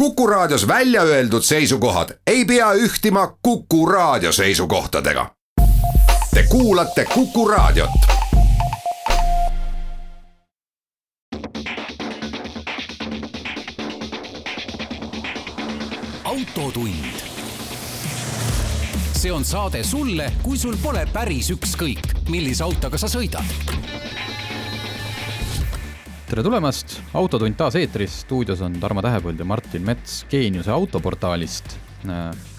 Kuku Raadios välja öeldud seisukohad ei pea ühtima Kuku Raadio seisukohtadega. Te kuulate Kuku Raadiot. Autotund. See on saade sulle, kui sul pole päris ükskõik, millise autoga sa sõidad. Tere tulemast, Autotund taas eetris, stuudios on Tarmo Tähepõld ja Martin Mets Geeniuse autoportaalist.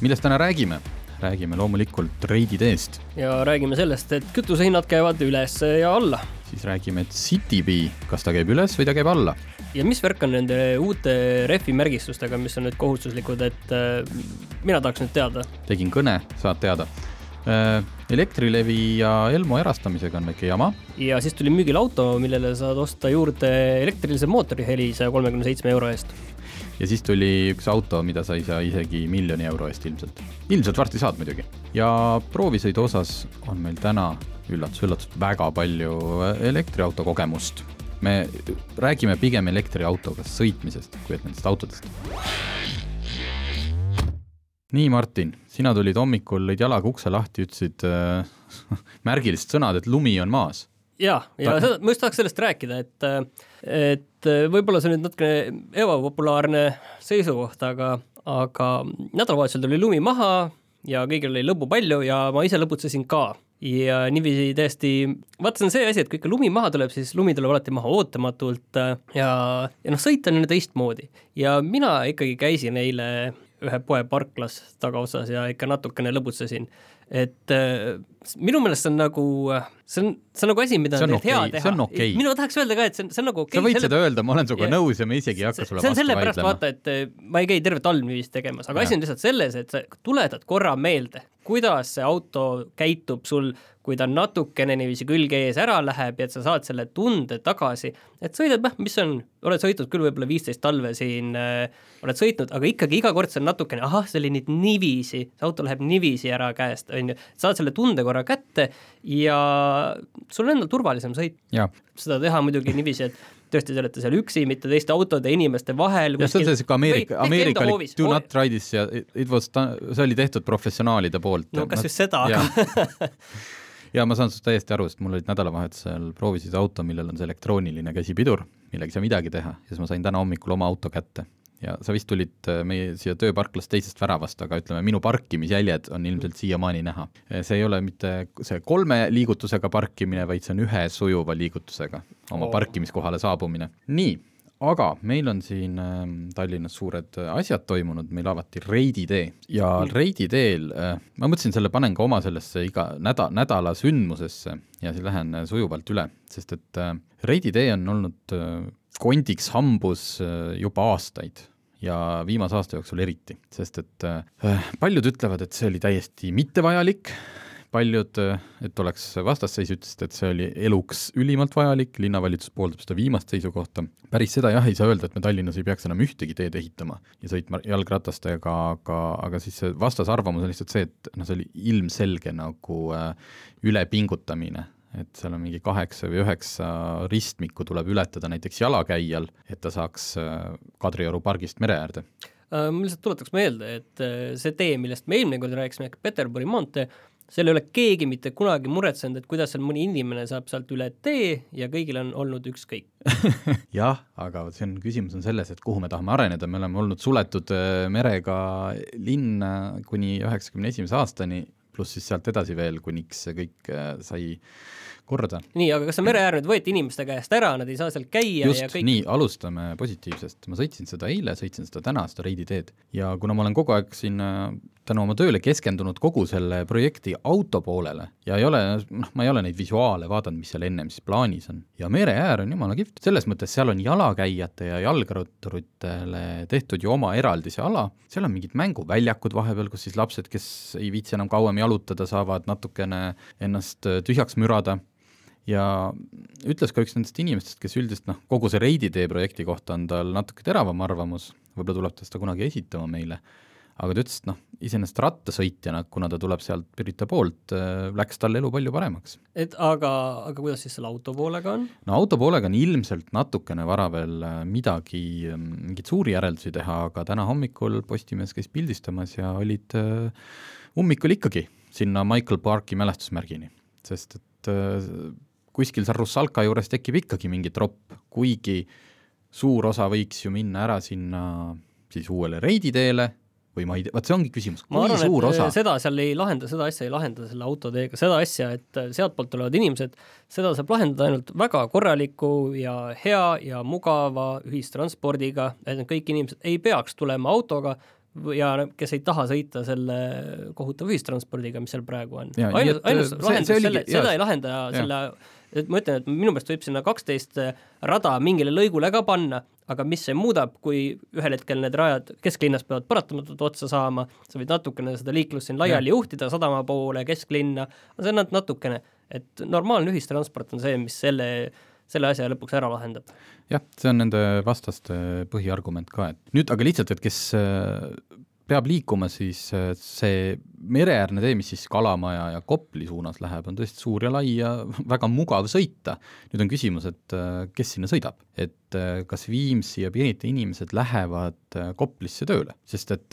Millest täna räägime? Räägime loomulikult Reidi-teest. Ja räägime sellest, et kütusehinnad käivad üles ja alla. Siis räägime, et Citybee, kas ta käib üles või ta käib alla? Ja mis värk on nende uute refi märgistustega, mis on nüüd kohustuslikud, et mina tahaks nüüd teada? Tegin kõne, saad teada. Elektrilevi ja Elmo erastamisega on väike jama. Ja siis tuli müügil auto, millele saad osta juurde elektrilise mootori heli 137 euro eest. Ja siis tuli üks auto, mida sa ei saa isegi 1 000 000 euro eest ilmselt. Ilmselt varsti saad muidugi. Ja proovisõidu osas on meil täna üllatus väga palju elektriauto kogemust. Me räägime pigem elektriautoga sõitmisest, kui et nendest autodest. Nii, Martin, sina tulid hommikul, lõid jalaga ukse lahti, ütlesid märgilist sõnad, et lumi on maas. Ja ma just tahaks sellest rääkida, et võib-olla see on nüüd natuke ebapopulaarne seisukoht, aga nädalavahetusel tuli lumi maha ja kõigil oli lõbu palju ja ma ise lõbutsesin ka. Ja niiviisi tõesti, vaata see on see asi, et kui ikka lumi maha tuleb, siis lumi tuleb alati maha ootamatult ja sõita on teistmoodi. Ja mina ikkagi käisin eile ühe poe parklas tagaosas ja ikka natukene lõbutsesin. Et minu meelest see on nagu asi, mida on hea teha. See on okei. Minu tahaks öelda ka, et see on nagu okei. Sa võid seda öelda, ma olen suga nõus ja me isegi ei hakka sulle vastu vaidlema. See on sellepärast vaata, et ma ei käi terve talvniivist tegemas, aga asi on lihtsalt selles, et sa tuletad korra meelde, kuidas see auto käitub sul, kui ta natukene niiviisi külge ees ära läheb ja et sa saad selle tunde tagasi, et sõidad, oled sõitnud küll võib-olla 15 talve siin, oled sõitnud, aga ikkagi iga kord see on natukene, see oli nüüd niiviisi, see auto läheb niiviisi ära käest, saad selle tunde korra kätte ja sul on endal turvalisem sõit. Ja. Seda teha muidugi niiviisi, et tõesti te olete seal üksi, mitte teiste autode inimeste vahel. Ja see on see Ameerika do not try this ja see oli tehtud professionaalide poolt. No kas just seda, aga... Ja ma saan sust täiesti aru, sest mul olid nädalavahetusel proovisid auto, millel on see elektrooniline käsipidur, millega ei saa midagi teha ja siis ma sain täna hommikul oma auto kätte. Ja sa vist tulid meie siia tööparklast teisest väravast, aga ütleme, minu parkimisjäljed on ilmselt siiamaani näha. See ei ole mitte see 3 liigutusega parkimine, vaid see on 1 sujuva liigutusega oma parkimiskohale saabumine. Nii, aga meil on siin Tallinnas suured asjad toimunud, meil avati Reidi-tee ja Reidi-teel, ma mõtlesin selle panen ka oma sellesse iga nädala sündmusesse ja siis lähen sujuvalt üle, sest et Reidi-tee on olnud kondiks hambus juba aastaid ja viimase aasta jooksul eriti, sest et paljud ütlevad, et see oli täiesti mittevajalik, paljud, et oleks vastasseis ütlesid, et see oli eluks ülimalt vajalik, linnavalitsus pooldab seda viimast seisukohta. Päris seda ei saa öelda, et me Tallinnas ei peaks enam ühtegi teed ehitama ja sõitma jalgratastega, aga siis see vastasarvamus on lihtsalt see, et see oli ilmselge nagu ülepingutamine, et seal on mingi 8 või 9 ristmikku tuleb ületada näiteks jalakäijal, et ta saaks Kadrioru pargist mere äärde. Ma lihtsalt tuletaks meelde, et see tee, millest me eelmine kord rääkisime, Peterburi maantee, seal ei ole keegi mitte kunagi muretsenud, et kuidas seal mõni inimene saab sealt üle tee ja kõigil on olnud ükskõik. Jah, aga küsimus on selles, et kuhu me tahame areneda. Me oleme olnud suletud merega linn kuni 91. aastani, pluss siis sealt edasi veel, kuniks see kõik sai korda. Nii, aga kas see mere äär nüüd võeti inimeste käest ära, nad ei saa seal käia? Just, ja kõik... nii, alustame positiivsest. Ma sõitsin seda eile, sõitsin seda täna, seda Reidi-teed. Ja kuna ma olen kogu aeg siin tänu oma tööle keskendunud kogu selle projekti auto poolele ja ma ei ole neid visuaale vaadanud, mis seal ennem siis plaanis on. Ja mere äär on jumala kihvt. Selles mõttes seal on jalakäijate ja jalgratturitele tehtud ju oma eraldise ala. Seal on mingid mänguväljakud vahepeal, kus siis lapsed, kes ei viitsi enam kauem jalutada, saavad natukene ennast tühjaks mürada. Ja ütles ka üks nendest inimestest, kes üldist kogu see Reidi-tee projekti kohta on tal natuke teravam arvamus, võib-olla tuleb ta seda kunagi esitama meile, aga ta ütles, et iseenesest rattasõitjana, kuna ta tuleb sealt Pirita poolt, läks tal elu palju paremaks. Aga kuidas siis selle auto poolega on? No auto poolega on ilmselt natukene vara veel mingit suuri järeldusi teha, aga täna hommikul Postimees käis pildistamas ja olid ummikul ikkagi sinna Michael Parki mälestusmärgini, sest et kuskil seal Russalka juures tekib ikkagi mingi tropp, kuigi suur osa võiks ju minna ära sinna siis uuele reiditeele või ma ei tea, see ongi küsimus, kui arvan, suur osa? seda asja ei lahenda selle autoteega, seda asja, et sealtpoolt tulevad inimesed, seda saab lahendada ainult väga korraliku ja hea ja mugava ühistranspordiga, et kõik inimesed ei peaks tulema autoga ja kes ei taha sõita selle kohutava ühistranspordiga, mis seal praegu on. Ainus lahendus, seda ei lahenda selle, et ma ütlen, et minu meelest võib sinna 12 rada mingile lõigule ka panna, aga mis see muudab, kui ühel hetkel need rajad kesklinnas peavad paratamatult otsa saama, sa võid natukene seda liiklust siin laiali juhtida sadama poole, kesklinna, see on natukene, et normaalne ühistransport on see, mis selle asja lõpuks ära lahendab. Jah, see on nende vastaste põhiargument ka, et nüüd aga lihtsalt, et kes peab liikuma, siis see mereäärne tee, mis siis Kalamaja ja Kopli suunas läheb, on tõesti suur ja lai ja väga mugav sõita. Nüüd on küsimus, et kes sinna sõidab, et kas Viimsi ja Pirita inimesed lähevad Koplisse tööle, sest et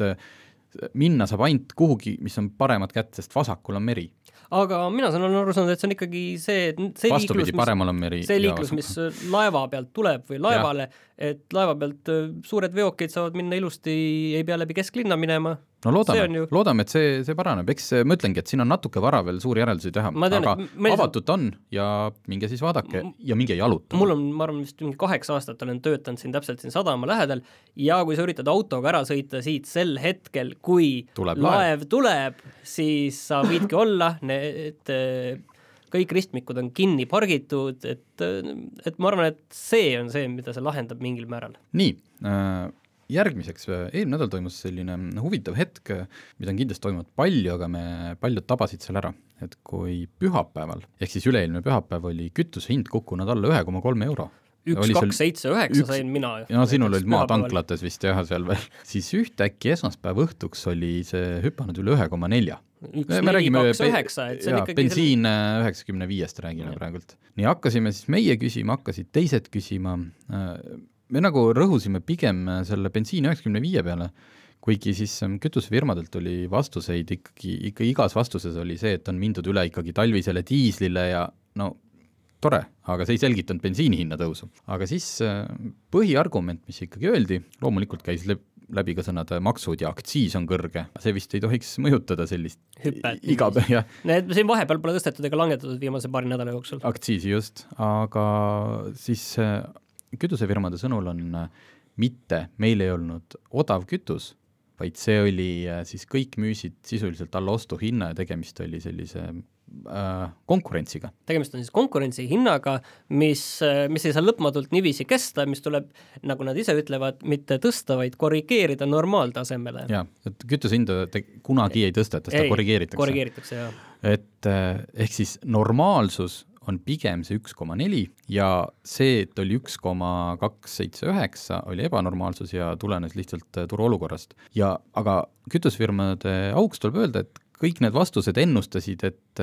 minna saab ainult kuhugi, mis on paremat kätt, sest vasakul on meri. Aga mina olen aru saanud, et see on ikkagi see vastupidi, paremal on meri. See liiklus, mis laeva pealt tuleb või laevale, et laeva pealt suured veokid saavad minna ilusti, ei pea läbi kesklinna minema. No loodame, et see paraneb. Eks ma ütlengi, et siin on natuke vara veel suuri järeldusi teha, aga avatut on ja minge siis vaadake ja minge jaluta. Mul on, ma arvan, vist mingi 8 aastat olen töötanud siin täpselt siin sadama lähedal ja kui sa üritad autoga ära sõita siit sel hetkel, kui laev tuleb, siis sa võidki olla, et kõik ristmikud on kinni pargitud, et ma arvan, et see on see, mida see lahendab mingil määral. Nii, järgmiseks, eelmine nädal toimus selline huvitav hetk, mida on kindlasti toimunud palju, aga paljud tabasid seal ära, et kui pühapäeval, ehk siis üleeelmine pühapäev oli kütuse hind kukkunud alla 1,3 euro. 1,279 sain mina. Ja sinul olid maatanklates vist jah seal veel. Siis ühtäkki esmaspäev õhtuks oli see hüpanud üle 1,4. 1,429, et see on ikkagi bensiin 95-st räägime praegult. Nii hakkasime siis meie küsima, hakkasid teised küsima. Me nagu rõhusime pigem selle bensiini 95 peale, kuigi siis kütusefirmadelt oli vastuseid ikka igas vastuses oli see, et on mindud üle ikkagi talvisele diislile ja tore, aga see ei selgitanud bensiini hinna tõusu. Aga siis põhiargument, mis ikkagi öeldi, loomulikult käis läbi ka sõnad maksud ja aktsiis on kõrge. See vist ei tohiks mõjutada sellist igapäev. Siin vahepeal pole tõstetud ega langetatud viimase paari nädala jooksul. Aktsiisi just, aga siis kütusefirmade sõnul on mitte, meil ei olnud odav kütus, vaid see oli siis kõik müüsid sisuliselt alla ostuhinna ja tegemist oli sellise konkurentsiga. Tegemist on siis konkurentsihinnaga, mis ei saa lõpmatult niiviisi kesta, mis tuleb, nagu nad ise ütlevad, mitte tõsta, vaid korrigeerida normaaltasemele. Jaa, et kütusehinda kunagi ei tõsteta, seda korrigeeritakse. Korrigeeritakse, jah. Et ehk siis normaalsus on pigem see 1,4 ja see, et oli 1,279 oli ebanormaalsus ja tulenes lihtsalt turuolukorrast. Aga kütusefirmade auks tuleb öelda, et kõik need vastused ennustasid, et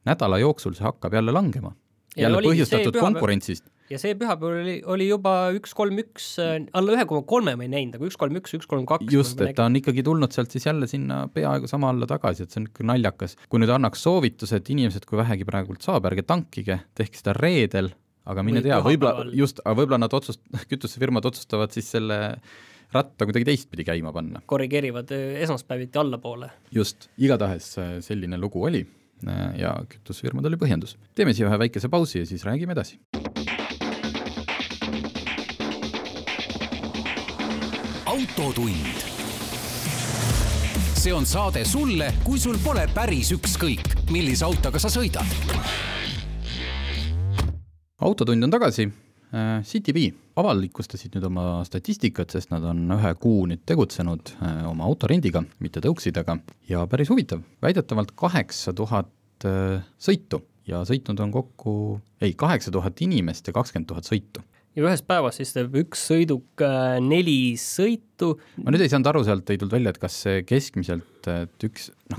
nädala jooksul see hakkab jälle langema. Jälle põhjustatud konkurentsist. Ja see pühapäev oli juba 1,31, alla 1,3 ma ei näinud, aga 1,31, 1,32. Just, et ta on ikkagi tulnud sealt siis jälle sinna peaaegu sama alla tagasi, et see on ikka naljakas. Kui nüüd annaks soovitused inimesed, kui vähegi praegult saab, ärge tankige, tehke seda reedel, aga mine tea, võib-olla nad kütusefirmad otsustavad siis selle ratta kuidagi teistpidi käima panna. Korrigeerivad esmaspäeviti allapoole. Just, igatahes selline lugu oli ja kütusefirmad oli põhjendus. Teeme siia ühe väikese pausi ja siis räägime edasi. Autotund. See on saade sulle, kui sul pole päris ükskõik, millise autoga sa sõidad. Autotund on tagasi. CityBee avalikustasid nüüd oma statistikat, sest nad on 1 kuu nüüd tegutsenud oma autorendiga, mitte tõuksidega ja päris huvitav. Väidetavalt 8000 sõitu ja sõitnud on kokku 8000 inimest ja 20 000 sõitu. ja ühes päevas siis teeb üks sõiduk 4 sõitu. Ma nüüd ei saanud aru sealt, ei tulnud välja, et kas see keskmiselt, et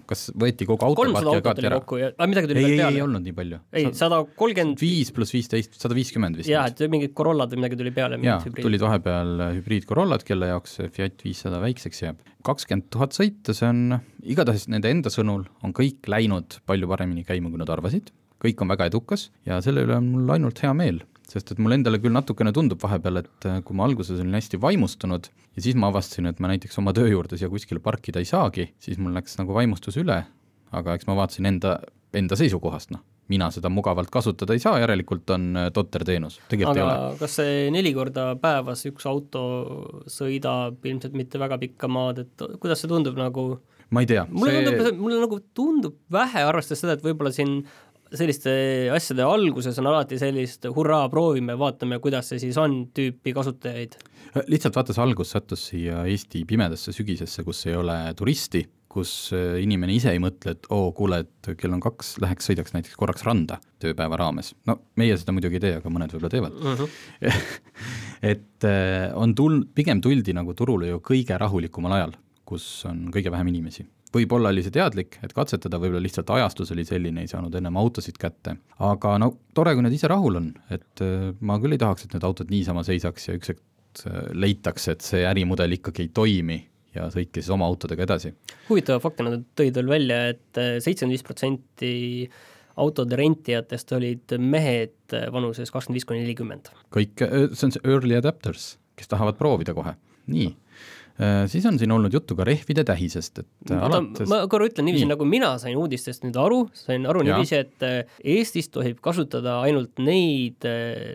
kas võeti kogu 300 autot tuli kokku ja midagi tuli veel peale. Ei olnud nii palju. Ei, 130... 5 pluss 15, 150 vist. Jah, et mingid Corollad või midagi tuli peale. Jaa, tulid vahepeal hübriid-Corollad, kelle jaoks Fiat 500 väikseks jääb. 20 000 sõita, see on igatahes nende enda sõnul on kõik läinud palju paremini käima, kui nad arvasid. Kõik on väga edukas ja selle üle on mul ainult hea meel, sest et mul endale küll natukene tundub vahepeal, et kui ma alguses olin hästi vaimustunud ja siis ma avastasin, et ma näiteks oma töö juurde siia kuskile parkida ei saagi, siis mul läks nagu vaimustus üle, aga eks ma vaatasin enda seisukohast, mina seda mugavalt kasutada ei saa, järelikult on totter teenus. Tegelikult aga kas see 4 korda päevas üks auto sõidab ilmselt mitte väga pikka maad, et kuidas see tundub nagu? Ma ei tea. Mulle nagu tundub vähe, arvestades seda, et võib-olla siin selliste asjade alguses on alati sellist hurraa, proovime, vaatame, kuidas see siis on tüüpi kasutajaid. Lihtsalt vaatas algus sattus siia Eesti pimedasse sügisesse, kus ei ole turisti, kus inimene ise ei mõtle, et kuule, et kell on 2, läheks sõidaks näiteks korraks randa tööpäeva raames. No meie seda muidugi ei tee, aga mõned võib-olla teevad. Et pigem tuldi nagu turule ju kõige rahulikumal ajal, kus on kõige vähem inimesi. Võib-olla oli see teadlik, et katsetada, võib-olla lihtsalt ajastus oli selline, ei saanud ennem autosid kätte. Aga tore, kui need ise rahul on, et ma küll ei tahaks, et need autod niisama seisaks ja üks leitaks, et see ärimudel ikkagi ei toimi ja sõitke siis oma autodega edasi. Huvitava faktina tõid veel välja, et 75% autode rentijatest olid mehed vanuses 25-40. Kõik, see on see early adapters, kes tahavad proovida kohe. Nii. Siis on siin olnud juttu ka rehvide tähisest. Ma korra ütlen niiviisi, nagu mina sain uudistest nüüd sain aru niiviisi, et Eestis tohib kasutada ainult neid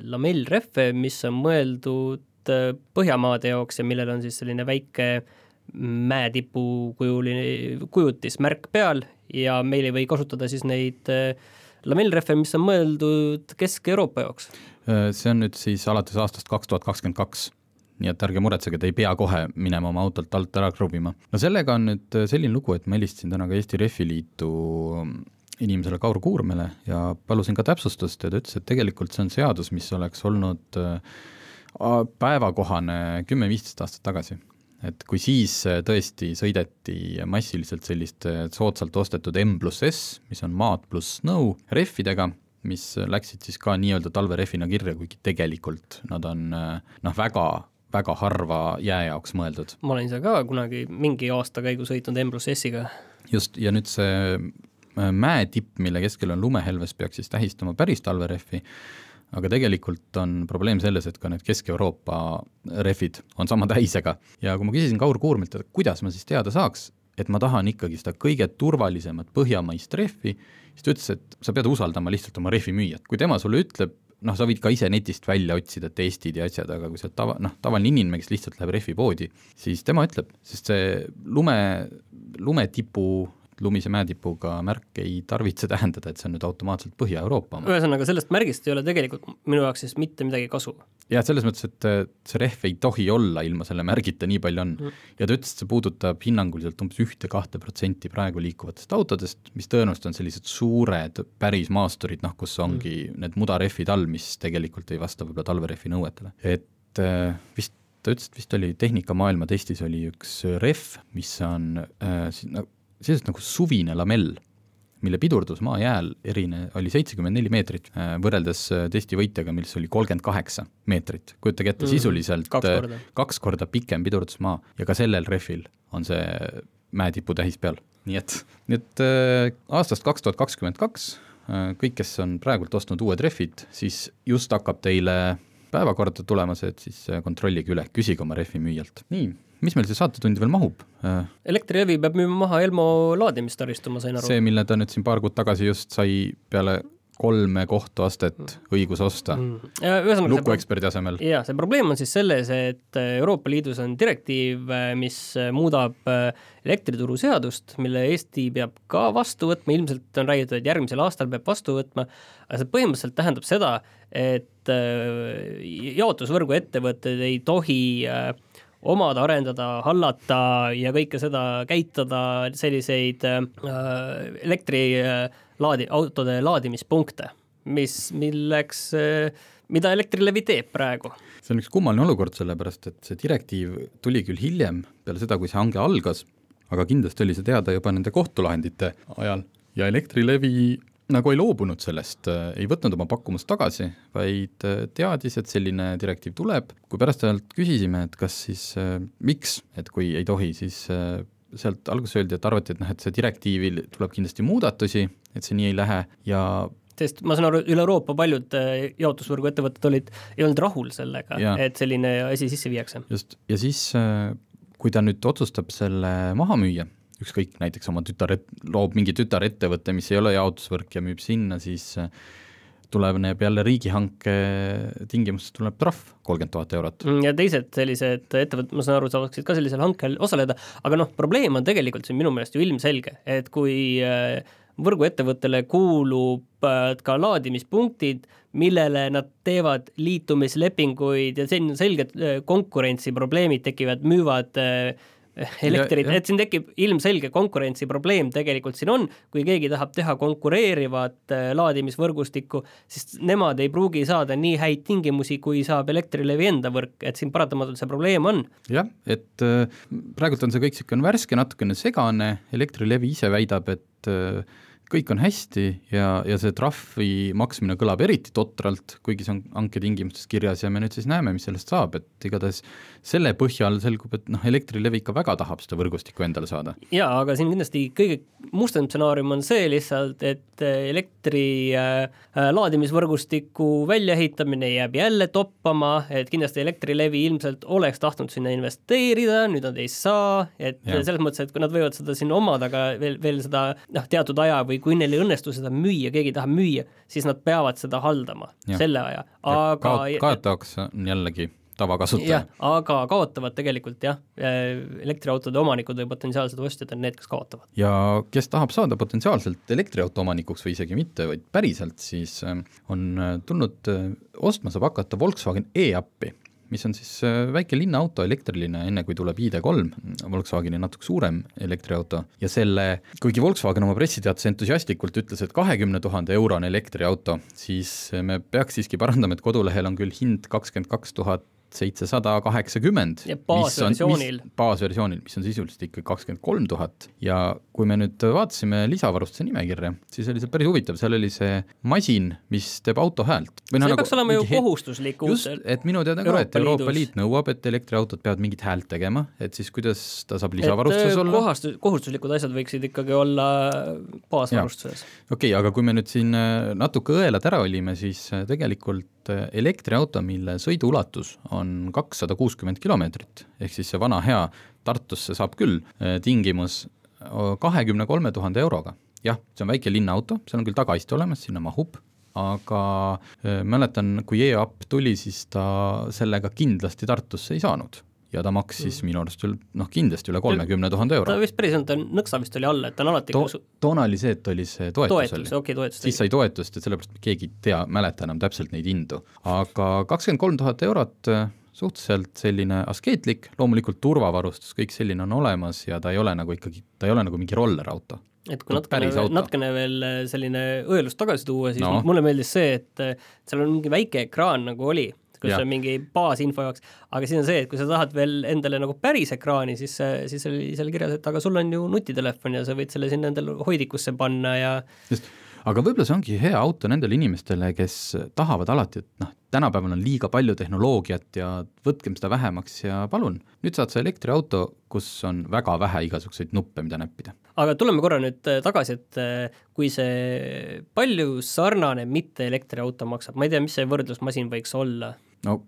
lamellrehve, mis on mõeldud Põhjamaade jaoks ja millel on siis selline väike mäetipu kujutis märk peal ja meil ei või kasutada siis neid lamellrehve, mis on mõeldud Kesk-Euroopa jaoks. See on nüüd siis alates aastast 2022. Nii et ärge muretsege, et ei pea kohe minema oma autolt alt ära kruvima. No sellega on nüüd selline lugu, et ma helistasin täna ka Eesti Rehviliitu inimesele Kaur Kuurmele ja palusin ka täpsustust ja ta ütles, et tegelikult see on seadus, mis oleks olnud päevakohane 10-15 aastat tagasi. Et kui siis tõesti sõideti massiliselt sellist soodsalt ostetud M+S, mis on maad pluss snow rehvidega, mis läksid siis ka nii-öelda talverehvina kirja, kuigi tegelikult nad on väga harva jää jaoks mõeldud. Ma olen ise ka kunagi mingi aasta käigu sõitnud M+S-iga. Just, ja nüüd see mäetipp, mille keskel on lumehelves, peaks siis tähistama päris talverehvi, aga tegelikult on probleem selles, et ka need Kesk-Euroopa rehvid on sama täisega. Ja kui ma küsisin Kaur Kuurmilt, et kuidas ma siis teada saaks, et ma tahan ikkagi seda kõige turvalisemat põhjamaist rehvi, siis ta ütles, et sa pead usaldama lihtsalt oma rehvi müüjat. Kui tema sulle ütleb, sa võid ka ise netist välja otsida testid ja asjad, aga kui see tavaline inimene, kes lihtsalt läheb rehvi poodi, siis tema ütleb, sest see lumetipu, lumise mäetipuga märk ei tarvitse tähendada, et see on nüüd automaatselt Põhja-Euroopa. Ühesõnaga, sellest märgist ei ole tegelikult minu jaoks siis mitte midagi kasu. Ja selles mõttes, et see rehv ei tohi olla ilma selle märgita, nii palju on. Ja ta ütles, et see puudutab hinnanguliselt umbes 1-2% praegu liikuvatest autodest, mis tõenäoliselt on sellised suured päris maasturid, kus ongi need mudarehvid all, mis tegelikult ei vasta võib-olla talverehvi nõuetele. Et ta ütles, et vist oli tehnikamaailma testis oli üks rehv, mis on sellisest nagu suvine lamell, mille pidurdus maa jääl oli 74 meetrit, võrreldes testivõitjaga, mis oli 38 meetrit. Kujutage ette sisuliselt 2 korda pikem pidurdus maa ja ka sellel rehvil on see mäetipu tähis peal. Nii et aastast 2022 kõik, kes on praegult ostnud uued rehvid, siis just hakkab teile päevakorda tulemas, et siis kontrollige üle, küsige oma rehvi müüjalt. Nii, mis meil see saatetundi veel mahub? Elektrilevi peab müüma maha Elmo laadimistaristu, ma sain aru. See, mille ta nüüd siin paar kuud tagasi just sai peale 3 kohtuastet õigus osta lukueksperdi asemel. Jah, see probleem on siis selles, et Euroopa Liidus on direktiiv, mis muudab elektrituru seadust, mille Eesti peab ka vastu võtma, ilmselt on räägitud, et järgmisel aastal peab vastu võtma, aga see põhimõtteliselt tähendab seda, et jaotusvõrgu ettevõtted ei tohi omada, arendada, hallata ja kõike seda käitada selliseid autode laadimispunkte, milleks mida Elektrilevi teeb praegu? See on üks kummaline olukord, sellepärast et see direktiiv tuli küll hiljem peale seda, kui see hange algas, aga kindlasti oli see teada juba nende kohtulahendite ajal ja Elektrilevi nagu ei loobunud sellest, ei võtnud oma pakkumust tagasi, vaid teadis, et selline direktiiv tuleb. Kui pärast küsisime, et kas siis miks, et kui ei tohi, siis sealt alguses öeldi, et arvati, et see direktiivil tuleb kindlasti muudatusi, et see nii ei lähe ja sest ma saan aru, üle Euroopa paljud jaotusvõrgu ettevõtted ei olnud rahul sellega, et selline asi sisse viiakse. Just, ja siis kui ta nüüd otsustab selle maha müüa, ükskõik näiteks oma loob mingi tütarettevõte, mis ei ole jaotusvõrk ja müüb sinna, siis tuleb jälle riigihanke tingimustes tuleb trahv 30 000 eurot. Ja teised sellised ettevõtted, ma saan aru, saaksid ka sellisel hankel osaleda, aga probleem on tegelikult siin minu meelest ju ilmselge, et kui võrguettevõttele kuulub ka laadimispunktid, millele nad teevad liitumislepinguid ja selged konkurentsiprobleemid tekivad, müüvad elektrit, et siin tekib ilmselge konkurentsiprobleem tegelikult siin on, kui keegi tahab teha konkureerivat laadimisvõrgustikku, siis nemad ei pruugi saada nii häid tingimusi, kui saab Elektrilevi enda võrk, et siin paratamatult see probleem on. Jah, et praegult on see kõik on värske, natukene segane, Elektrilevi ise väidab, et kõik on hästi ja see trahvi maksmine kõlab eriti totralt, kuigi see on hanke tingimustes kirjas ja me nüüd siis näeme, mis sellest saab, et igatahes selle põhjal selgub, et Elektrilevi ikka väga tahab seda võrgustikku endale saada. Jaa, aga siin kindlasti kõige mustem stsenaarium on see lihtsalt, et elektri laadimisvõrgustiku väljaehitamine jääb jälle toppama, et kindlasti Elektrilevi ilmselt oleks tahtnud sinna investeerida, nüüd nad ei saa, et selles mõttes, et kui nad võivad seda siin omada, aga veel seda teatud aja või kui neil ei õnnestu seda müüa, keegi tahab müüa, siis nad peavad seda haldama selle aja. Aga kaotaks jällegi tavakasutaja. Aga kaotavad tegelikult elektriautode omanikud või potentsiaalsed ostjad on need, kes kaotavad. Ja kes tahab saada potentsiaalselt elektriauto omanikuks või isegi mitte, vaid päriselt, siis on tulnud ostma saab hakata Volkswagen e-appi, mis on siis väike linnaauto, elektriline, enne kui tuleb ID3, Volkswageni natuke suurem elektriauto ja kuigi Volkswagen oma pressiteates entusiastlikult ütles, et 20 000 eurone elektriauto, siis me peaks siiski parandama, et kodulehel on küll hind 22 780, baasversioonil, mis on sisuliselt ikka 23 000 ja kui me nüüd vaatasime lisavarustuse nimekirja, siis oli see päris huvitav, seal oli see masin, mis teeb auto häält. See peaks olema ju kohustuslik. Just, et minu teada ka, et Euroopa Liit nõuab, et elektriautod peavad mingit häält tegema, et siis kuidas ta saab lisavarustuses olla? Kohustuslikud asjad võiksid ikkagi olla baasvarustuses. Okei, aga kui me nüüd siin natuke õelad ära olime, siis tegelikult elektriauto, mille sõiduulatus on 260 kilomeetrit, ehk siis see vana hea Tartusse saab küll tingimus 23 000 euroga. Jah, see on väike linnaauto, seal on küll tagaiste olemas, sinna mahub, aga mäletan, kui e-app tuli, siis ta sellega kindlasti Tartusse ei saanud. Ja ta maksis minu arust kindlasti üle 30 000 euro. Ta vist päris on, nõksa vist oli alla, et ta on alati toona oli see, et oli see toetus. Toetus. Siis sai toetust, et sellepärast keegi mäleta enam täpselt neid hindu. Aga 23 000 eurot suhteliselt selline askeetlik, loomulikult turvavarustus, kõik selline on olemas ja ta ei ole nagu mingi rollerauto. Et kui natkene veel selline õelust tagasi tuua, siis mulle meeldis see, et seal on mingi väike ekraan nagu oli, kus on mingi baasinfo jaoks, aga siis on see, et kui sa tahad veel endale nagu päris ekraani, siis oli seal kirjas, et aga sul on ju nutitelefon ja sa võid selle sinna endale hoidikusse panna ja just, aga võib-olla see ongi hea auto nendele inimestele, kes tahavad alati, et tänapäeval on liiga palju tehnoloogiat ja võtkem seda vähemaks ja palun, nüüd saad sa elektriauto, kus on väga vähe igasuguseid nuppe, mida näppida. Aga tuleme korra nüüd tagasi, et kui see palju sarnane mitte elektriauto maksab, ma ei tea, mis see võrdlusmasin võiks olla? No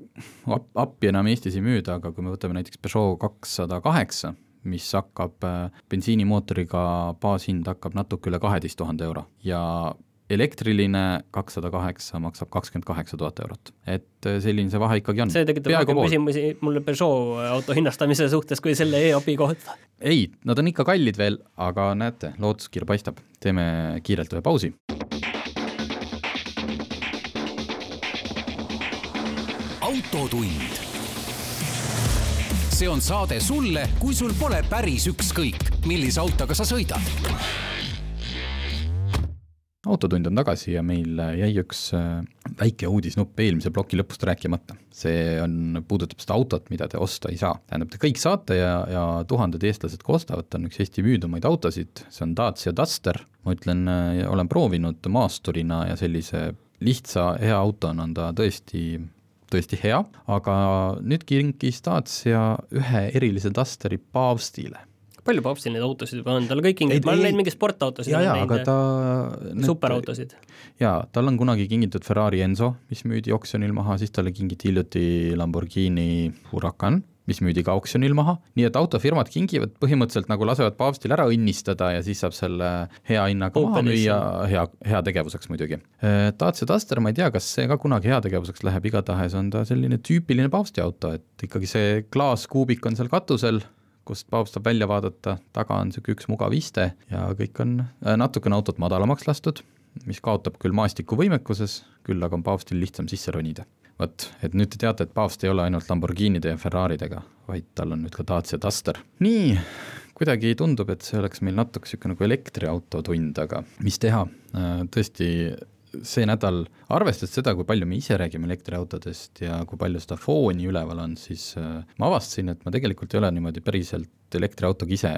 appi enam Eestis ei müüda, aga kui me võtame näiteks Peugeot 208, mis hakkab bensiinimootoriga, baashind hakkab natuke üle 12 000 euro ja elektriline 208 maksab 28 000 eurot. Et selline see vahe ikkagi on. See tekitab rohkem küsimusi mulle Peugeot auto hinnastamise suhtes kui selle e-api kohta. Ei, nad on ikka kallid veel, aga näete, lootuskiir paistab. Teeme kiirelt ühe pausi. Autotund. See on saade sulle, kui sul pole päris ükskõik, millise autoga sa sõidad. autotund on tagasi ja meil jäi üks väike uudisnupp eelmise ploki lõpust rääkimata. See puudutab seda autot, mida te osta ei saa. Tähendab, te kõik saate ja tuhanded eestlased koostavad, on üks Eesti müüdumaid autosid, see on Dacia Duster. Ma ütlen, olen proovinud maasturina ja sellise lihtsa hea autona on ta tõesti hea, aga nüüd kinkis Dacia ühe erilise Dusteri Paavstile. Palju Paavstil neid autosid juba on? Tal kõik kingid, ma olen neid mingi sportautosid, superautosid. Jaa, tal on kunagi kingitud Ferrari Enzo, mis müüdi oksjonil maha, siis talle kingiti hiljuti Lamborghini Huracan, mis müüdi ka oksjonil maha, nii et autofirmad kingivad põhimõtteliselt nagu lasevad Paavstil ära õnnistada ja siis saab selle hea hinnaga maha müüa hea tegevuseks muidugi. Dacia Duster, ma ei tea, kas see ka kunagi hea tegevuseks läheb, igatahes on ta selline tüüpiline Paavsti auto, et ikkagi see klaaskuubik on seal katusel, kust Paavst saab välja vaadata, taga on see üks mugav iste ja kõik on natukene autot madalamaks lastud, mis kaotab küll maastiku võimekuses, küll aga on Paavstil lihtsam sisse ronida. Võt, et nüüd te teate, et Paavst ei ole ainult Lamborghinide ja Ferraridega, vaid tal on nüüd ka Dacia Duster. Nii, kuidagi tundub, et see oleks meil natuke siuke nagu elektriauto tund, aga mis teha? Tõesti, see nädal, arvestades seda, kui palju me ise räägime elektriautodest ja kui palju seda fooni üleval on, siis ma avastasin, et ma tegelikult ei ole niimoodi päriselt elektriautoga ise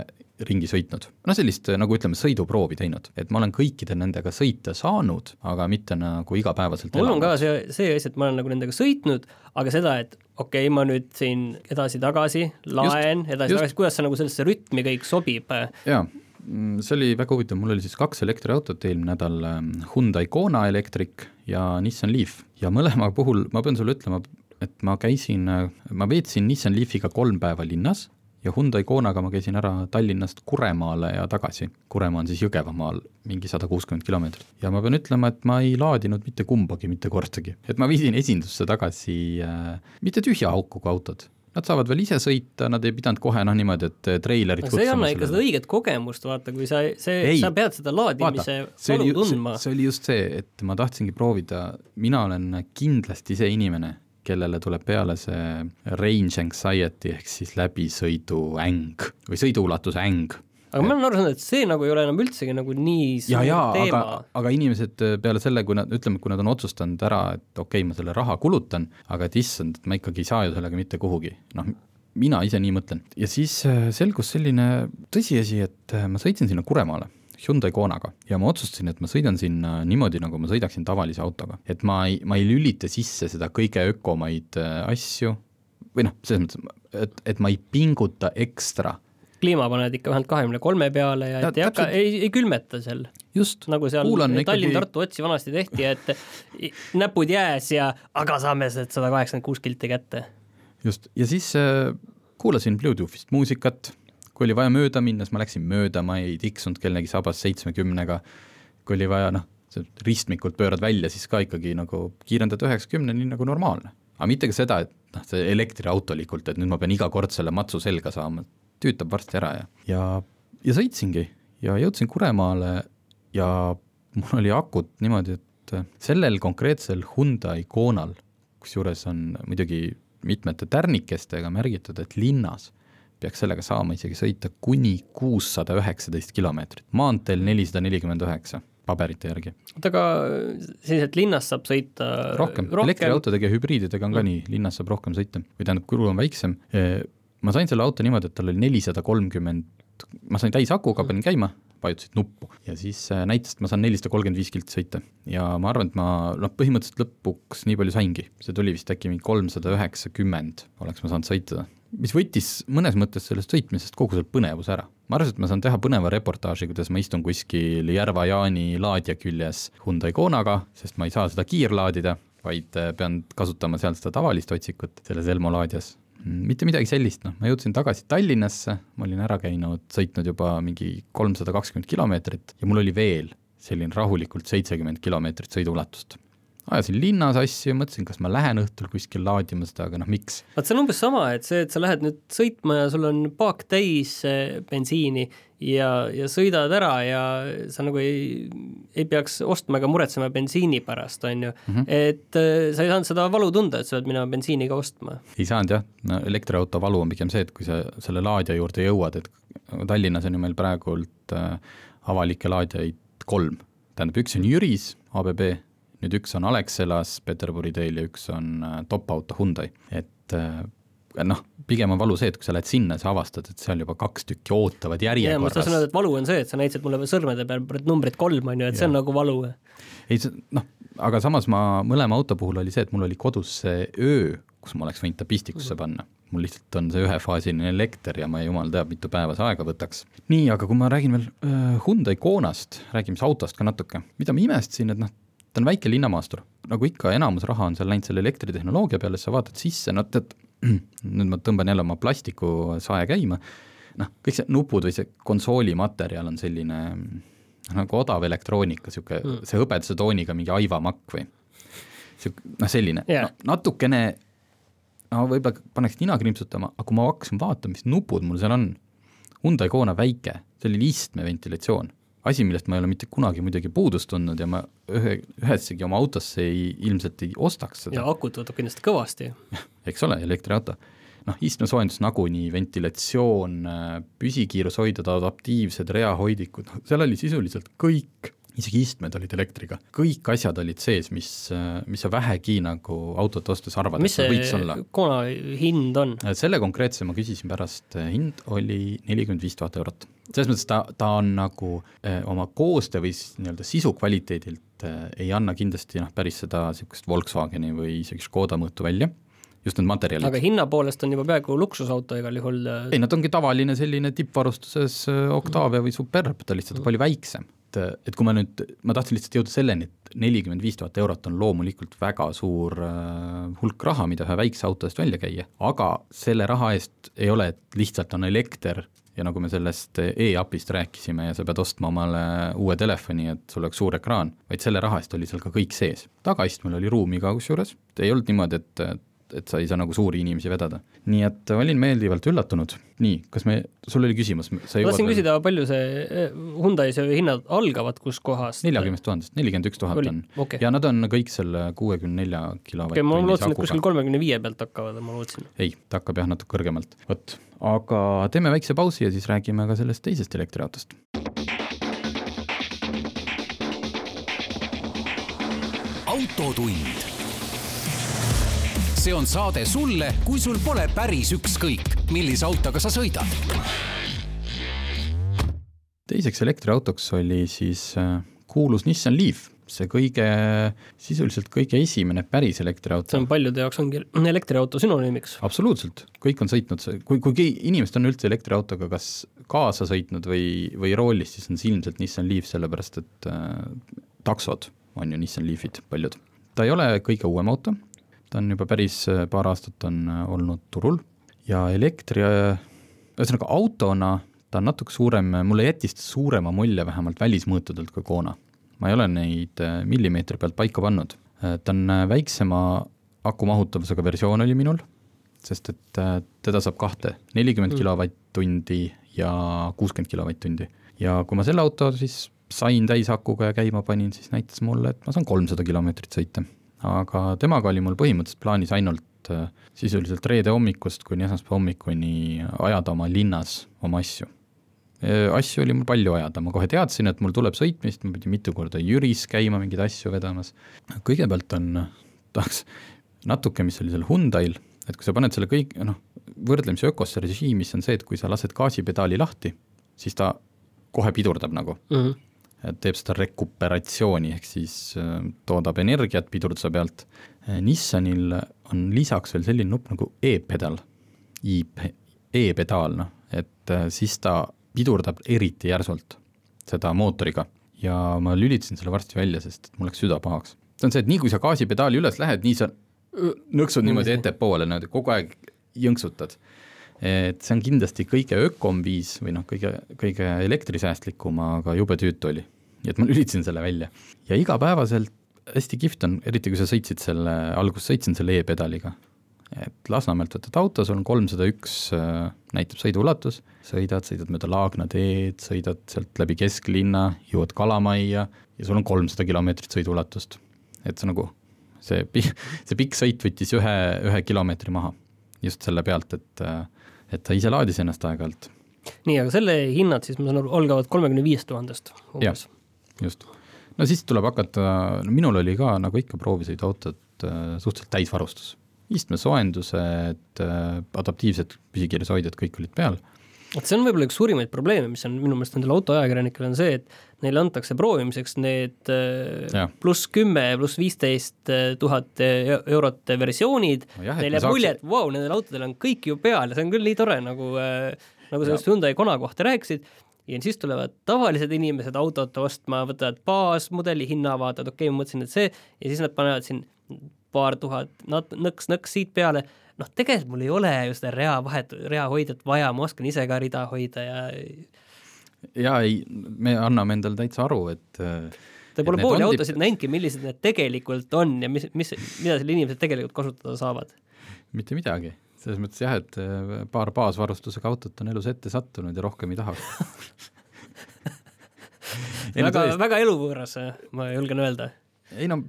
ringi sõitnud. No sellist, nagu ütleme, sõiduproovi teinud, et ma olen kõikide nendega sõita saanud, aga mitte nagu igapäevaselt elanud. Mul on ka see asi, et ma olen nagu nendega sõitnud, aga seda, et okei, ma nüüd siin edasi-tagasi laen, edasi-tagasi, kuidas see nagu sellesse rütmi kõik sobib? Jaa. See oli väga huvitav, mul oli siis 2 elektriautot eelmine nädal, Hyundai Kona elektrik ja Nissan Leaf ja mõlema puhul ma pean sulle ütlema, et ma veetsin Nissan Leafiga 3 päeva linnas ja Hyundai Konaga ma käisin ära Tallinnast Kuremaale ja tagasi. Kuremaa on siis Jõgevamaal mingi 160 kilomeetrit ja ma pean ütlema, et ma ei laadinud mitte kumbagi, mitte kordagi, et ma viisin esindusse tagasi mitte tühja aukuga autod. Nad saavad veel ise sõita, nad ei pidanud kohe niimoodi, et treilerit kutsuma. See ei anna ikka seda õiget kogemust, vaata, kui sa pead seda laadimise valu tundma. See oli just see, et ma tahtsingi proovida, mina olen kindlasti see inimene, kellele tuleb peale see range anxiety ehk siis läbisõidu äng või sõiduulatuse äng. Aga ma olen aru saanud, et see nagu ei ole enam üldsegi nagu nii suur teema. Aga inimesed peale selle, kui nad on otsustanud ära, et okei, ma selle raha kulutan, aga et issand, et ma ikkagi ei saa ju sellega mitte kuhugi. Mina ise nii mõtlen. Ja siis selgus selline tõsiasi, et ma sõitsin sinna Kuremaale Hyundai Konaga ja ma otsustasin, et ma sõidan sinna niimoodi, nagu ma sõidaksin tavalise autoga. Et ma ei lülita sisse seda kõige ökomaid asju või selles mõttes, et ma ei pinguta ekstra. Kliima paned ikka vähemalt 23 peale ja ei külmeta seal. Just. Nagu seal Tallinn-Tartu otsi vanasti tehti, et näpud jääs aga saame 186 kilti kätte. Just. Ja siis kuulasin Bluetoothist muusikat. Kui oli vaja mööda minnes, ma läksin mööda, ma ei tiksunud kellegi sabas 70-ga. Kui oli vaja, ristmikult pöörad välja, siis ka ikkagi nagu kiirendad 90, nii nagu normaalne. Aga mitte ka seda, et see elektriautolikult, et nüüd ma pean iga kord selle matsu selga saama. Tüütab varsti ära ja sõitsingi ja jõudsin Kuremaale ja mul oli akut niimoodi, et sellel konkreetsel Hyundai Konal, kusjuures on muidugi mitmete tärnikestega märgitud, et linnas peaks sellega saama isegi sõita kuni 619 kilomeetrit, maanteel 449 paberite järgi. Aga selliselt linnas saab sõita rohkem. Elektriautodega ja hübriididega on ka nii, linnas saab rohkem sõita, või tähendab, kulu on väiksem. Ma sain selle auto niimoodi, et tal oli 430, ma sain täis akuga, panin käima, vajutasid nuppu ja siis näitas, et ma saan 435 kilti sõita ja ma arvan, et ma põhimõtteliselt lõpuks nii palju saingi, see tuli vist äkki 390 oleks ma saanud sõita, mis võttis mõnes mõttes sellest sõitmisest kogu selle põnevus ära. Ma arvasin, et ma saan teha põneva reportaaži, kuidas ma istun kuskil Järva-Jaani laadja küljes Hyundai Konaga, sest ma ei saa seda kiirlaadida, vaid pean kasutama seal seda tavalist otsikut selles Elmo laadjas. Mitte midagi sellist, ma jõudsin tagasi Tallinnasse, ma olin ära käinud, sõitnud juba mingi 320 kilomeetrit ja mul oli veel selline rahulikult 70 kilomeetrit sõiduulatust. Ajasin linnas asju, mõtlesin, kas ma lähen õhtul kuskil laadima seda, aga miks? Vaat see on umbes sama, et sa lähed nüüd sõitma ja sul on paak täis bensiini ja sõidad ära ja sa nagu ei peaks ostma ega muretsema bensiini pärast, on ju. Et sa ei saanud seda valu tunda, et sa oled minema bensiiniga ostma. Ei saanud jah, elektriauto valu on pigem see, et kui sa selle laadja juurde jõuad, et Tallinnas on ju meil praegult avalikke laadjaid 3 tähendab, üks on Jüris, ABB, nüüd üks on Alexelas, Peterburi teel ja üks on top-auto Hyundai, et pigem on valu see, et kui sa lähed sinna, sa avastad, et seal juba 2 tükki ootavad järjekorras. Ma tahan öelda, et valu on see, et sa näitasid mulle sõrmede peal numbrid 3, on ju, et see on nagu valu. Ei, aga samas mõlema auto puhul oli see, et mul oli kodus see öö, kus ma oleks võinud ta pistikusse panna. Mul lihtsalt on see ühefaasiline elekter ja ma jumal teab, mitu päeva see aega võtaks. Nii, aga kui ma räägin veel Hyundai Konast, räägime siis autost ka natuke, mida ma imestasin, et ta on väike linnamaastur. Nagu ikka enamus raha on seal läinud selle elektritehnoloogia peale, sa vaatad sisse, nüüd ma tõmban jälle oma plastiku sae käima, kõik see nupud või see konsooli materjal on selline nagu odav elektroonika, see hõbedase tooniga mingi aivamakk või selline, natukene võib-olla paneks nina krimpsutama, aga kui ma hakkasin vaatama, mis nupud mul seal on, Hyundai Kona väike, see oli istme ventilatsioon, asi, millest ma ei ole mitte kunagi muidugi puudust tundnud ja ma ühessegi oma autosse ilmselt ei ostaks seda. Ja akut võtab kindlasti kõvasti. Eks ole, elektriauto. Istmesoojendus naguni, ventilatsioon, püsikiirushoidjad, adaptiivsed reahoidikud, seal oli sisuliselt kõik, isegi istmed olid elektriga, kõik asjad olid sees, mis sa vähegi nagu autot ostes arvad, mis et võiks olla. Mis see Kona hind on? Selle konkreetse ma küsisin pärast, hind oli 45 000 eurot. Selles mõttes ta on nagu oma kooste või sisu kvaliteedilt ei anna kindlasti päris seda sihukest Volkswageni või isegi Škoda mõõtu välja, just need materjalid. Aga hinna poolest on juba peaaegu luksusauto igal juhul. Ei, nad ongi tavaline selline tippvarustuses Octavia või Superb, ta lihtsalt palju väiksem. Et kui ma tahtsin lihtsalt jõuda selleni, et 45 000 eurot on loomulikult väga suur hulk raha, mida ühe väikse auto eest välja käia, aga selle raha eest ei ole, et lihtsalt on elekter ja nagu me sellest e-apist rääkisime ja sa pead ostma omale uue telefoni, et sul oleks suur ekraan, vaid selle raha eest oli seal ka kõik sees. Tagaistmel oli ruumi ka kusjuures, ei olnud niimoodi, et sa ei saa nagu suuri inimesi vedada. Nii et olin meeldivalt üllatunud. Nii, kas sul oli küsimus? Tahtsin küsida, palju see Hyundai hinnad algavad, kus kohast? 40 000, 41 000 on. Okay. Ja nad on kõik selle 64 kilovatt. Okay, ma lootsin, et kuskil 35 pealt hakkavad, ma lootsin. Ei, ta hakkab jah natuke kõrgemalt. Võt. Aga teeme väikse pausi ja siis räägime ka sellest teisest elektriautost. Autotund. See on saade sulle, kui sul pole päris ükskõik, millise autoga sa sõidad. Teiseks elektriautoks oli siis kuulus Nissan Leaf, see sisuliselt kõige esimene päris elektriauto. See on paljude jaoks ongi elektriauto sünonüümiks. Absoluutselt, kõik on sõitnud, kui inimesed on üldse elektriautoga kas kaasa sõitnud või roolis, siis on see ilmselt Nissan Leaf, sellepärast et taksod on ju Nissan Leafid paljud. Ta ei ole kõige uuem auto, ta on juba päris paar aastat on olnud turul ja ühesõnaga autona ta on natuke suurem, mulle jättis suurema mulje vähemalt välismõõtudelt kui Kona. Ma ei ole neid millimeetri pealt paika pannud. Ta on väiksema akumahutavusega versioon oli minul, sest et teda saab 40 kilovatt-tundi ja 60 kilovatt-tundi. Ja kui ma selle auto siis sain täisakuga ja käima panin, siis näitas mulle, et ma saan 300 kilomeetrit sõita. Aga temaga oli mul põhimõtteliselt plaanis ainult sisuliselt reede hommikust kuni esmaspäeva hommikuni ajada oma linnas oma asju. Asju oli mul palju ajada, ma kohe teadsin, et mul tuleb sõitmist, ma pidin mitu korda Jüris käima mingid asju vedamas. Kõigepealt tahaks natuke, mis oli seal Hyundail, et kui sa paned selle kõik, võrdlemise ökosse režiimis on see, et kui sa lased gaasipedaali lahti, siis ta kohe pidurdab nagu. Teeb seda rekuperatsiooni, ehk siis toodab energiat pidurduse pealt. Nissanil on lisaks veel selline nupp nagu e-pedal, e-pedaal, et siis ta pidurdab eriti järsult seda mootoriga ja ma lülitasin selle varsti välja, sest mul läks süda pahaks. See on see, et nii kui sa gaasipedaali üles lähed, nii sa nõksud niimoodi ettepoole, kogu aeg jõnksutad. Et see on kindlasti kõige ökom viis või kõige elektrisäästlikum, aga jube tüütu oli. Nii et ma lülitasin selle välja. Ja igapäevaselt hästi kihvt on, eriti kui sa sõitsid sõitsin selle e-pedaliga. Et Lasnamäelt võtad auto, sul on 301 näitab sõiduulatus, sõidad mööda Laagna teed, sõidad sealt läbi kesklinna, jõuad Kalamaia ja sul on 300 kilomeetrit sõiduulatust. Et see pikk sõit võttis ühe kilomeetri maha just selle pealt, et ta ise laadis ennast aeg-ajalt. Nii, aga selle hinnad siis, ma saan aru, algavad 35 000 umbes. Just. no siis tuleb hakata, no minul oli ka nagu ikka proovisõiduautod suhteliselt täisvarustus. Istmesoojendused, adaptiivsed püsikiireshoidjad, kõik olid peal. Et see on võib-olla üks suurimaid probleeme, mis on minu meelest nendel autoajakirjanikel on see, et neile antakse proovimiseks need pluss 10, pluss 15 000 eurot versioonid. Neile mulje, et wow, nendel autodel on kõik ju peal ja see on küll nii tore, nagu sellest Hyundai Kona kohta rääkisid. Ja siis tulevad tavalised inimesed autot ostma, võtavad baasmudeli hinna, vaatavad, okei, ma mõtlesin, et see, ja siis nad panevad siin paar tuhat nõks siit peale. Noh, tegelikult mul ei ole ju seda rea hoidjat vaja, ma oskan ise ka rida hoida ja ei, me anname endale täitsa aru, et ta pole pooli autosid näinudki, millised need tegelikult on ja mida selle inimesed tegelikult kasutada saavad. Mitte midagi. Selles mõttes jah, et paar baasvarustusega autot on elus ette sattunud ja rohkem ei taha. väga eluvõõras, ma julgen öelda. Ei no,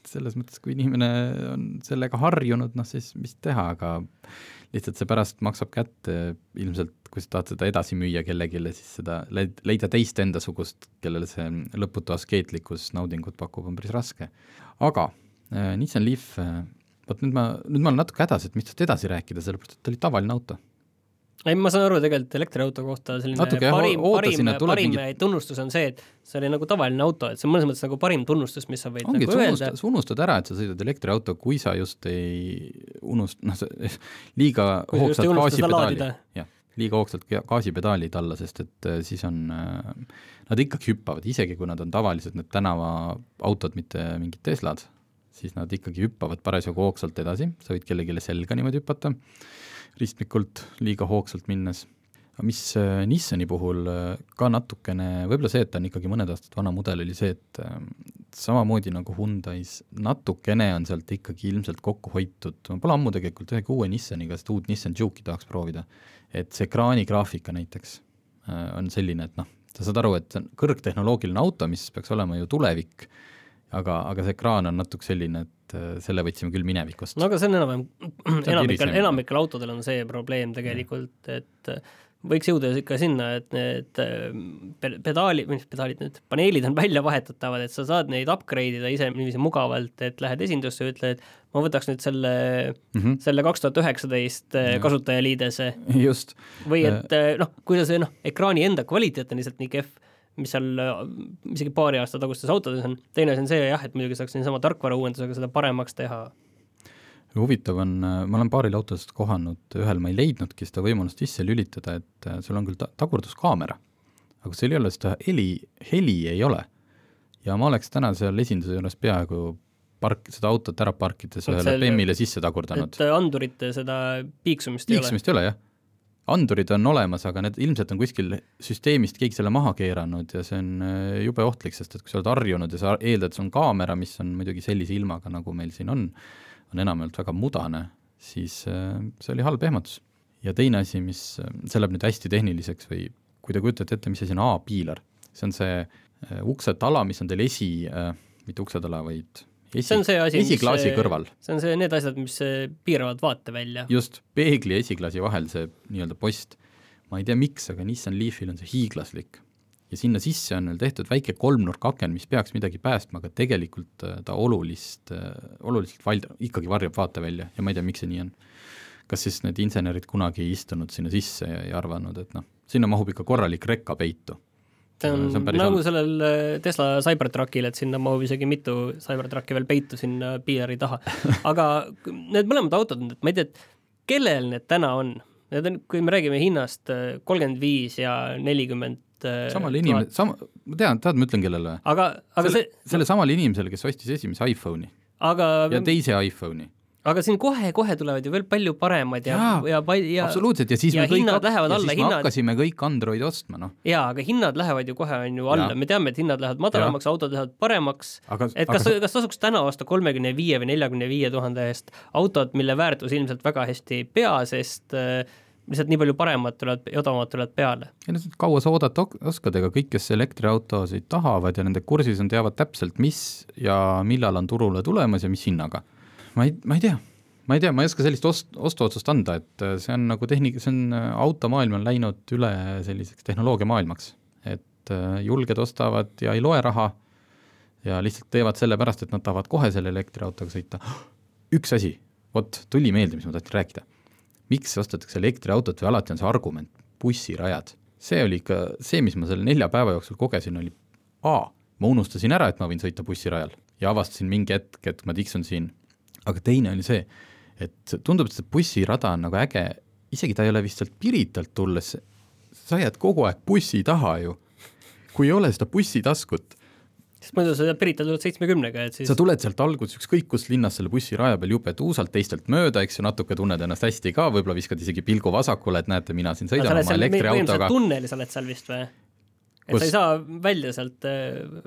selles mõttes, kui inimene on sellega harjunud, noh siis mis teha, aga lihtsalt see pärast maksab kätte ilmselt, kui sa tahad seda edasi müüa kellegile, siis seda leida teist endasugust, kellele see lõputu askeetlikkus naudingut pakub, on päris raske. Aga Nissan Leaf, nüüd ma olen natuke hädas, et mis tõst edasi rääkida, sellepärast, et ta oli tavaline auto. Ei, ma saan aru tegelikult elektriauto kohta selline parim tunnustus on see, et see oli nagu tavaline auto, et see on mõnes mõttes nagu parim tunnustus, mis sa võid ongi, nagu öelda. Sa unustad ära, et sa sõidad elektriauto, kui sa just ei liiga hoogsalt gaasipedaalid alla, sest et siis on, nad ikkagi hüppavad, isegi kui nad on tavalised, need tänavaautod, mitte mingid Teslad, siis nad ikkagi hüppavad parasjagu hoogsalt edasi, sa võid kellegile selga niimoodi hüppata, ristmikult liiga hoogsalt minnes. Mis Nissani puhul ka natukene, võib-olla see, et ta on ikkagi mõned aastad vana mudel, oli see, et samamoodi nagu Hyundais natukene on sealt ikkagi ilmselt kokku hoitud. Ma pole ammu tegelikult ühegi uue Nissaniga, seda uut Nissan Juke'i tahaks proovida. Et see ekraanigraafika näiteks on selline, et sa saad aru, et see on kõrgtehnoloogiline auto, mis peaks olema ju tulevik, aga see ekraan on natuke selline, et selle võtsime küll minevikust. No aga see on enamikel autodel on see probleem tegelikult, et võiks jõuda ikka sinna, et need need paneelid on välja vahetatavad, et sa saad neid upgrade'ida ise niiviisi mugavalt, et lähed esindusse ja ütled, et ma võtaks nüüd selle 2019 kasutajaliidese. Just. Või et kui see ekraani enda kvaliteet on lihtsalt nii kehv, mis seal isegi paari aasta tagustes autodes on. Teine on see jah, et muidugi saaks niisama tarkvara uuendusega seda paremaks teha. Huvitav on, ma olen paaril autost kohanud, ühel ma ei leidnudki seda võimalust sisse lülitada, et sul on küll tagurduskaamera, aga seal ei ole seda heli ei ole. Ja ma oleks täna seal esinduse juures peaaegu seda autot ära parkides ühele PEM-ile sisse tagurdanud. Et andurite seda piiksumist ei ole, jah. Andurid on olemas, aga need ilmselt on kuskil süsteemist keegi selle maha keeranud ja see on jube ohtlik, sest et kui sa oled harjunud ja sa eeldad, et see on kaamera, mis on muidugi sellise ilmaga, nagu meil siin on enamalt väga mudane, siis see oli halb ehmatus. Ja teine asi, mis see läheb nüüd hästi tehniliseks või kui te kujutate ette, mis asi on A-piilar, see on see uksetala, mis on teil mitte uksetala, vaid esiklaasi kõrval. See on need asjad, mis piiravad vaate välja. Just, peegli ja esiklaasi vahel see nii-öelda post. Ma ei tea miks, aga Nissan Leafil on see hiiglaslik. Ja sinna sisse on veel tehtud väike kolmnurkaken, mis peaks midagi päästma, aga tegelikult ta oluliselt ikkagi varjab vaate välja ja ma ei tea, miks see nii on. Kas siis need insenerid kunagi ei istunud sinna sisse ja arvanud, et sinna mahub ikka korralik rekka peitu. See on nagu sellel Tesla Cybertruckil, et sinna mahub isegi mitu Cybertrucki veel peitu sinna piilari taha. Aga need mõlemad autod, et ma ei tea, kellel need täna on? Need on, kui me räägime hinnast 35 ja 40 samale inimesele, ma ma ütlen kellele. Aga selle samale inimesele, kes ostis esimese iPhone'i ja teise iPhone'i. Aga siin kohe tulevad ju veel palju paremad ja absoluutselt, ja siis me hakkasime kõik Android ostma. Jaa, aga hinnad lähevad ju kohe on ju alla. Me teame, et hinnad lähevad madalamaks, autod lähevad paremaks. Kas tasuks täna osta 35 või 45 000 eest autot, mille väärtus ilmselt väga hästi ei pea, sest lihtsalt nii palju paremad odavamad tulevad peale. Ja kaua sa oodata oskad, ega kõik, kes elektriautosid tahavad ja nende kursis on, teavad täpselt, mis ja millal on turule tulemas ja mis hinnaga. Ma ei tea, ma ei oska sellist ostuotsust anda, et see on nagu see on automaailm on läinud üle selliseks tehnoloogia maailmaks, et julged ostavad ja ei loe raha ja lihtsalt teevad selle pärast, et nad tahavad kohe selle elektriautoga sõita. Üks asi, tuli meelde, mis ma tahtsin rääkida. Miks ostetakse elektriautot või alati on see argument? Bussirajad. See oli ikka see, mis ma selle 4 päeva jooksul kogesin, oli ma unustasin ära, et ma võin sõita bussirajal ja avastasin mingi hetk, et ma tiksun siin. Aga teine oli see, et tundub, et see bussirada on nagu äge, isegi ta ei ole vist sealt Piritalt tulles, sa jääd kogu aeg bussi taha ju, kui ei ole seda bussitaskut. Sest muidu sa Pirita tuled 70-ga, et siis... Sa tuled sealt alguses ükskõik kus linnas selle bussiraja peal jupe tuusalt teistelt mööda, eks ju natuke tunned ennast hästi ka, võib-olla viskad isegi pilgu vasakule, et näete, mina siin sõidan oma elektriautoga. Tunneli sa oled seal vist või? Et sa ei saa välja sealt...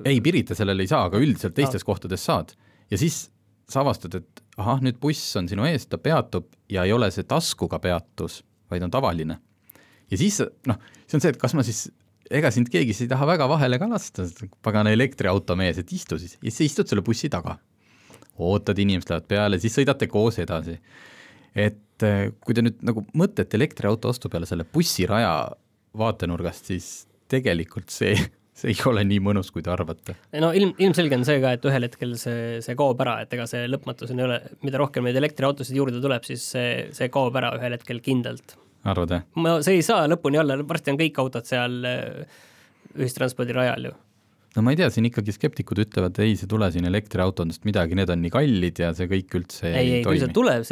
Ei, Pirita sellele ei saa, aga üldiselt teistes kohtades saad. Ja siis sa avastad, et nüüd buss on sinu ees, ta peatub ja ei ole see taskuga peatus, vaid on tavaline. Ja siis, see on see, et kas ma siis... Ega sind keegi ei taha väga vahele ka lasta, pagana elektriauto mees, et istu siis. Ja siis istud selle bussi taga. Ootad, inimesed lähevad peale, siis sõidate koos edasi. Et kui te nüüd nagu mõtlete elektriauto ostu peale selle bussiraja vaatenurgast, siis tegelikult see ei ole nii mõnus, kui te arvate. No ilmselge on see ka, et ühel hetkel see kaob ära, et ega see lõpmatus ei ole, mida rohkem neid elektriautosid juurde tuleb, siis see kaob ära ühel hetkel kindlalt. Arvad, see ei saa lõpuni olla, varsti on kõik autod seal ühistranspordi rajal ju. No ma ei tea, siin ikkagi skeptikud ütlevad, ei, see tule siin elektriautodest midagi, need on nii kallid ja see kõik üldse ei toimi. Ei, kui see tuleb,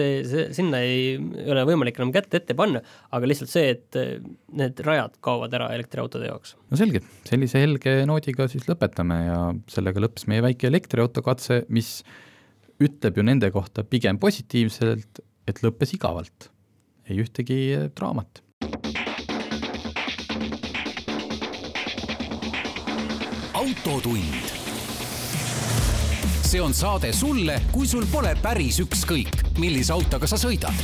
sinna ei ole võimalik enam kätte ette panna, aga lihtsalt see, et need rajad kaovad ära elektriautode jaoks. No selge, sellise helge noodiga siis lõpetame ja sellega lõppes meie väike elektriautokatse, mis ütleb ju nende kohta pigem positiivselt, et lõppes igavalt. Ei ühtegi draamat. Autotund. See on saade sulle, kui sul pole päris ükskõik, millise autoga sa sõidad.